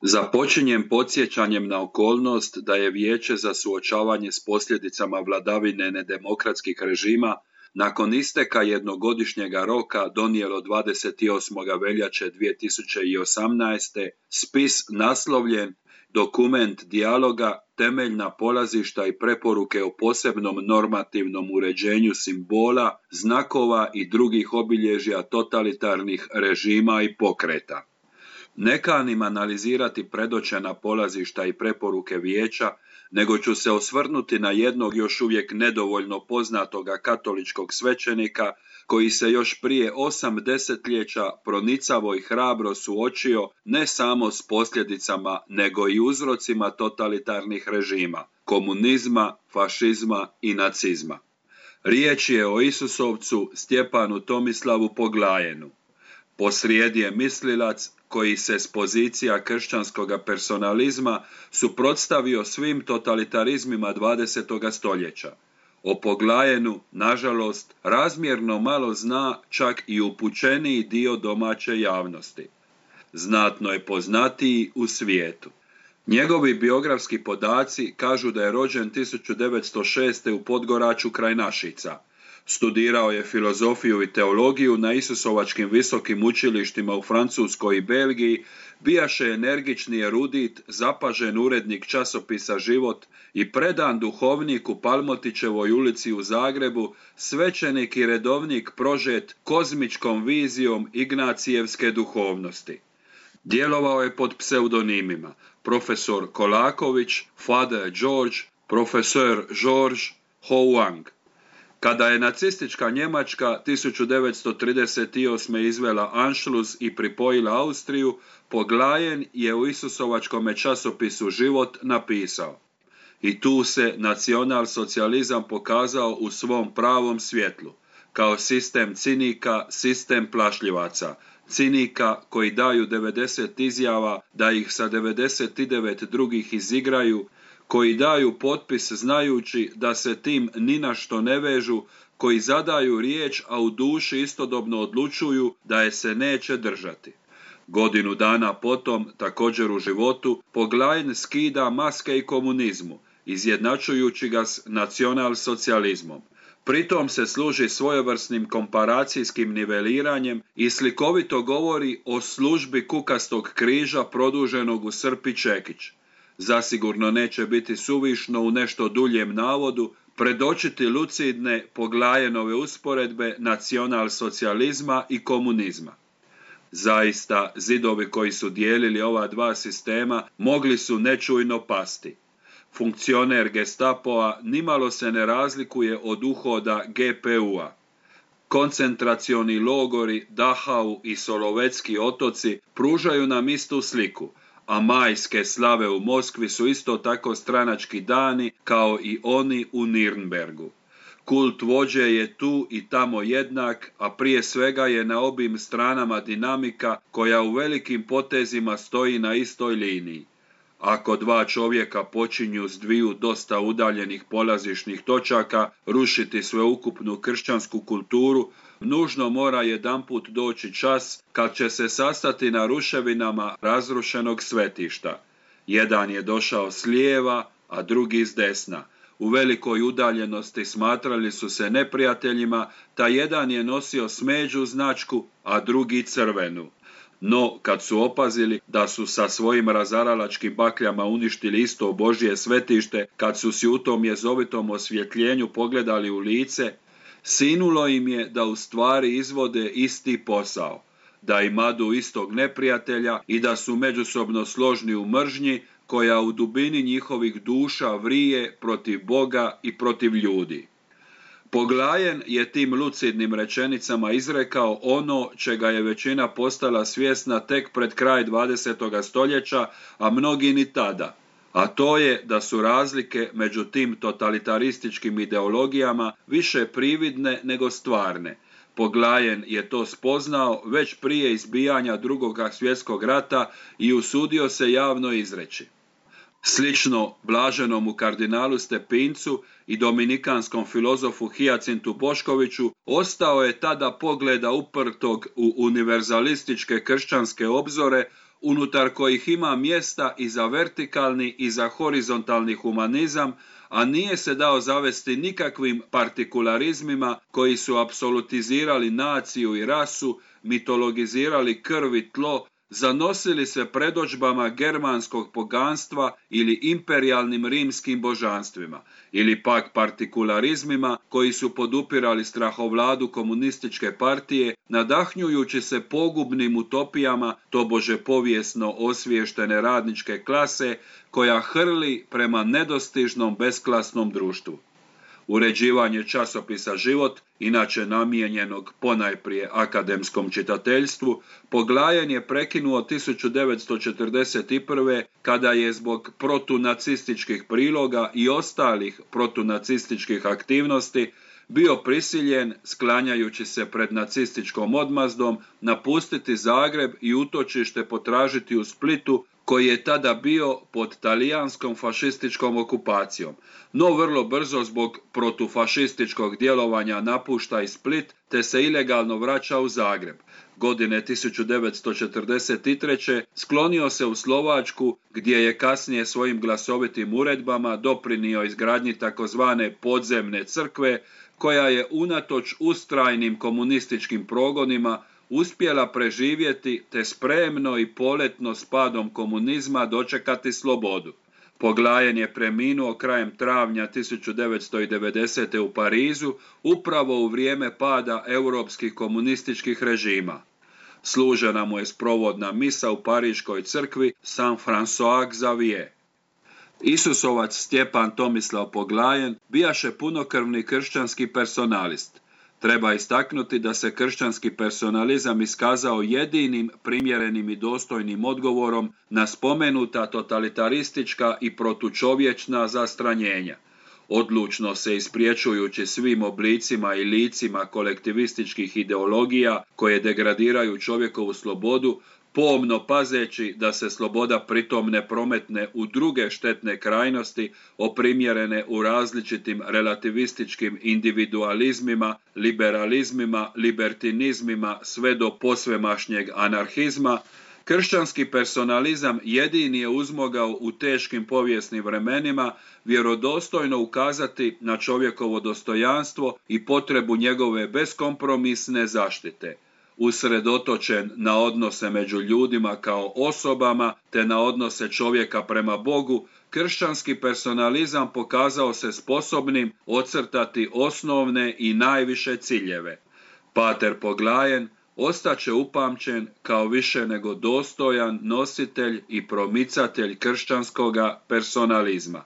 Započinjem podsjećanjem na okolnost da je Vijeće za suočavanje s posljedicama vladavine nedemokratskih režima nakon isteka jednogodišnjega roka donijelo 28. veljače 2018. spis naslovljen Dokument dijaloga, temeljna polazišta i preporuke o posebnom normativnom uređenju simbola, znakova i drugih obilježja totalitarnih režima i pokreta. Ne kanim analizirati predočena polazišta i preporuke Vijeća, nego ću se osvrnuti na jednog još uvijek nedovoljno poznatoga katoličkog svećenika koji se još prije 8 desetljeća pronicavo i hrabro suočio ne samo s posljedicama nego i uzrocima totalitarnih režima, komunizma, fašizma i nacizma. Riječ je o Isusovcu Stjepanu Tomislavu Poglajenu. Posrijedi je mislilac koji se s pozicija kršćanskog personalizma suprotstavio svim totalitarizmima 20. stoljeća. O Poglajenu, nažalost, razmjerno malo zna čak i upućeniji dio domaće javnosti. Znatno je poznatiji u svijetu. Njegovi biografski podaci kažu da je rođen 1906. u Podgoraču kraj Našica. Studirao je filozofiju i teologiju na Isusovačkim visokim učilištima u Francuskoj i Belgiji, bijaše energični erudit, zapažen urednik časopisa Život i predan duhovnik u Palmotićevoj ulici u Zagrebu, svećenik i redovnik prožet kozmičkom vizijom ignacijevske duhovnosti. Djelovao je pod pseudonimima profesor Kolaković, Father George, profesor George Houang. Kada je nacistička Njemačka 1938. izvela Anschluss i pripojila Austriju, Poglajen je u Isusovačkom časopisu Život napisao: "I tu se nacionalsocijalizam pokazao u svom pravom svjetlu, kao sistem cinika, sistem plašljivaca, cinika koji daju 90 izjava da ih sa 99 drugih izigraju, koji daju potpis znajući da se tim ni na što ne vežu, koji zadaju riječ, a u duši istodobno odlučuju da je se neće držati." Godinu dana potom, također u Životu, Poglajen skida maske i komunizmu, izjednačujući ga s nacionalsocijalizmom. Pritom se služi svojevrsnim komparacijskim niveliranjem i slikovito govori o službi kukastog križa produženog u srp i čekić. Zasigurno neće biti suvišno u nešto duljem navodu predočiti lucidne Poglajenove usporedbe nacionalsocijalizma i komunizma. Zaista, zidovi koji su dijelili ova dva sistema mogli su nečujno pasti. Funkcioner Gestapoa nimalo se ne razlikuje od uhoda GPU-a. Koncentracioni logori Dachau i Solovetski otoci pružaju nam istu sliku, a majske slave u Moskvi su isto tako stranački dani kao i oni u Nirnbergu. Kult vođe je tu i tamo jednak, a prije svega je na obim stranama dinamika koja u velikim potezima stoji na istoj liniji. Ako dva čovjeka počinju s dviju dosta udaljenih polazišnih točaka rušiti sveukupnu kršćansku kulturu, nužno mora jedanput doći čas kad će se sastati na ruševinama razrušenog svetišta. Jedan je došao s lijeva, a drugi s desna. U velikoj udaljenosti smatrali su se neprijateljima, ta jedan je nosio smeđu značku, a drugi crvenu. No, kad su opazili da su sa svojim razaralačkim bakljama uništili isto Božje svetište, kad su si u tom jezovitom osvjetljenju pogledali u lice, sinulo im je da u stvari izvode isti posao, da imadu istog neprijatelja i da su međusobno složni u mržnji koja u dubini njihovih duša vrije protiv Boga i protiv ljudi. Poglajen je tim lucidnim rečenicama izrekao ono čega je većina postala svjesna tek pred kraj 20. stoljeća, a mnogi ni tada, a to je da su razlike među tim totalitarističkim ideologijama više prividne nego stvarne. Poglajen je to spoznao već prije izbijanja Drugog svjetskog rata i usudio se javno izreći: "Slično blaženomu kardinalu Stepincu i dominikanskom filozofu Hijacintu Boškoviću ostao je tada pogleda uprtog u univerzalističke kršćanske obzore unutar kojih ima mjesta i za vertikalni i za horizontalni humanizam, a nije se dao zavesti nikakvim partikularizmima koji su apsolutizirali naciju i rasu, mitologizirali krv i tlo, zanosili se predodžbama germanskog poganstva ili imperijalnim rimskim božanstvima, ili pak partikularizmima koji su podupirali strahovladu komunističke partije, nadahnjujući se pogubnim utopijama tobože povijesno osviještene radničke klase koja hrli prema nedostižnom besklasnom društvu. Uređivanje časopisa Život, inače namijenjenog ponajprije akademskom čitateljstvu, Poglajen je prekinuo 1941. kada je zbog protunacističkih priloga i ostalih protunacističkih aktivnosti bio prisiljen, sklanjajući se pred nacističkom odmazdom, napustiti Zagreb i utočište potražiti u Splitu, koji je tada bio pod talijanskom fašističkom okupacijom, no vrlo brzo zbog protufašističkog djelovanja napušta i Split te se ilegalno vraća u Zagreb. Godine 1943. sklonio se u Slovačku, gdje je kasnije svojim glasovitim uredbama doprinio izgradnji takozvane podzemne crkve, koja je unatoč ustrajnim komunističkim progonima uspjela preživjeti te spremno i poletno s padom komunizma dočekati slobodu. Poglajen je preminuo krajem travnja 1990. u Parizu, upravo u vrijeme pada europskih komunističkih režima. Služena mu je sprovodna misa u Pariškoj crkvi Saint-François Xavier. Isusovac Stjepan Tomislav Poglajen bijaše punokrvni kršćanski personalist. Treba istaknuti da se kršćanski personalizam iskazao jedinim primjerenim i dostojnim odgovorom na spomenuta totalitaristička i protučovječna zastranjenja. Odlučno se ispriječujući svim oblicima i licima kolektivističkih ideologija koje degradiraju čovjekovu slobodu, pomno pazeći da se sloboda pritom ne prometne u druge štetne krajnosti, oprimjerene u različitim relativističkim individualizmima, liberalizmima, libertinizmima sve do posvemašnjeg anarhizma, kršćanski personalizam jedini je uzmogao u teškim povijesnim vremenima vjerodostojno ukazati na čovjekovo dostojanstvo i potrebu njegove beskompromisne zaštite. Usredotočen na odnose među ljudima kao osobama te na odnose čovjeka prema Bogu, kršćanski personalizam pokazao se sposobnim ocrtati osnovne i najviše ciljeve. Pater Poglajen ostaće upamćen kao više nego dostojan nositelj i promicatelj kršćanskoga personalizma.